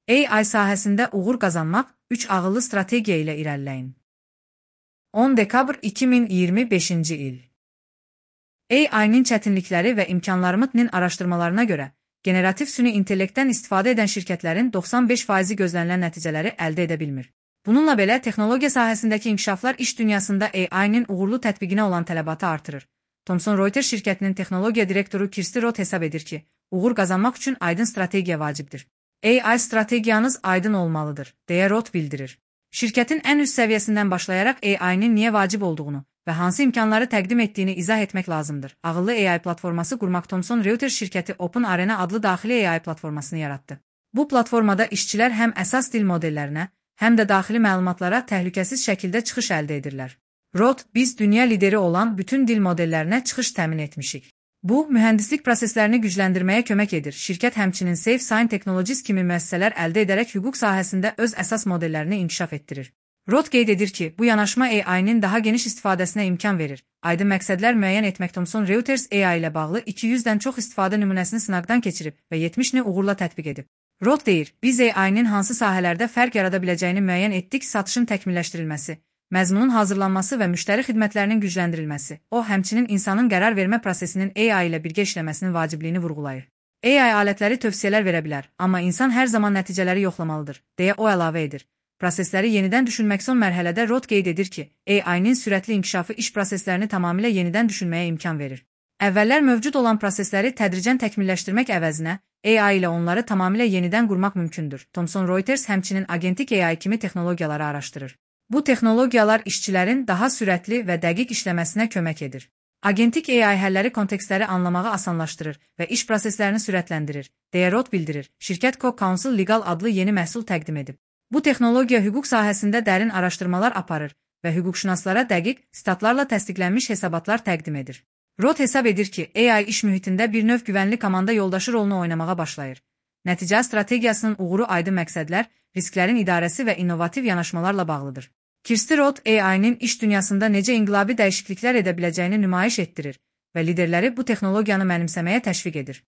AI sahəsində uğur qazanmaq 3 ağıllı strategiya ilə irəliləyin. 10 dekabr 2025-ci il. AI-nin çətinlikləri və imkanlarının araşdırmalarına görə, generativ süni intellektdən istifadə edən şirkətlərin 95%-i gözlənilən nəticələri əldə edə bilmir. Bununla belə, texnologiya sahəsindəki inkişaflar iş dünyasında AI-nin uğurlu tətbiqinə olan tələbatı artırır. Thomson Reuters şirkətinin texnologiya direktoru Kirsty Roth hesab edir ki, uğur qazanmaq üçün aydın strategiya vacibdir. AI strategiyanız aydın olmalıdır, deyə Roth bildirir. Şirkətin ən üst səviyyəsindən başlayaraq AI-nin niyə vacib olduğunu və hansı imkanları təqdim etdiyini izah etmək lazımdır. Ağıllı AI platforması qurmaq Thomson Reuters şirkəti Open Arena adlı daxili AI platformasını yaratdı. Bu platformada işçilər həm əsas dil modellərinə, həm də daxili məlumatlara təhlükəsiz şəkildə çıxış əldə edirlər. Roth, biz dünya lideri olan bütün dil modellərinə çıxış təmin etmişik. Bu, mühəndislik proseslərini gücləndirməyə kömək edir. Şirkət həmçinin Safe Sign Technologies kimi müəssisələr əldə edərək hüquq sahəsində öz əsas modellərini inkişaf etdirir. Roth qeyd edir ki, bu yanaşma AI-nin daha geniş istifadəsinə imkan verir. Aydın məqsədlər müəyyən etmək Thomson Reuters AI ilə bağlı 200-dən çox istifadə nümunəsini sınaqdan keçirib və 70-ni uğurla tətbiq edib. Roth deyir, biz AI-nin hansı sahələrdə fərq yarada biləcəyini müəyyən etdik: satışın təkmilləşdirilməsi, məzmunun hazırlanması və müştəri xidmətlərinin gücləndirilməsi. O, həmçinin insanın qərar vermə prosesinin AI ilə birgə işləməsinin vacibliyini vurğulayır. AI alətləri tövsiyələr verə bilər, amma insan hər zaman nəticələri yoxlamalıdır, deyə o əlavə edir. Prosesləri yenidən düşünmək son mərhələdə Roth qeyd edir ki, AI-nin sürətli inkişafı iş proseslərini tamamilə yenidən düşünməyə imkan verir. Əvvəllər mövcud olan prosesləri tədricən təkmilləşdirmək əvəzinə, AI ilə onları tamamilə yenidən qurmaq mümkündür. Thomson Reuters həmçinin agentik AI kimi texnologiyaları araşdırır. Bu texnologiyalar işçilərin daha sürətli və dəqiq işləməsinə kömək edir. Agentik AI həlləri kontekstləri anlamağı asanlaşdırır və iş proseslərini sürətləndirir, deyə Roth bildirir. Şirkət Co-Counsel Legal adlı yeni məhsul təqdim edib. Bu texnologiya hüquq sahəsində dərin araşdırmalar aparır və hüquqşünaslara dəqiq, statlarla təsdiqlənmiş hesabatlar təqdim edir. Roth hesab edir ki, AI iş mühitində bir növ güvənli komanda yoldaşı rolunu oynamağa başlayır. Nəticə strategiyasının uğuru aydın məqsədlər, risklərin idarəsi və innovativ yanaşmalarla bağlıdır. Kirsty Roth AI-nin iş dünyasında necə inqilabi dəyişikliklər edə biləcəyini nümayiş etdirir və liderləri bu texnologiyanı mənimsəməyə təşviq edir.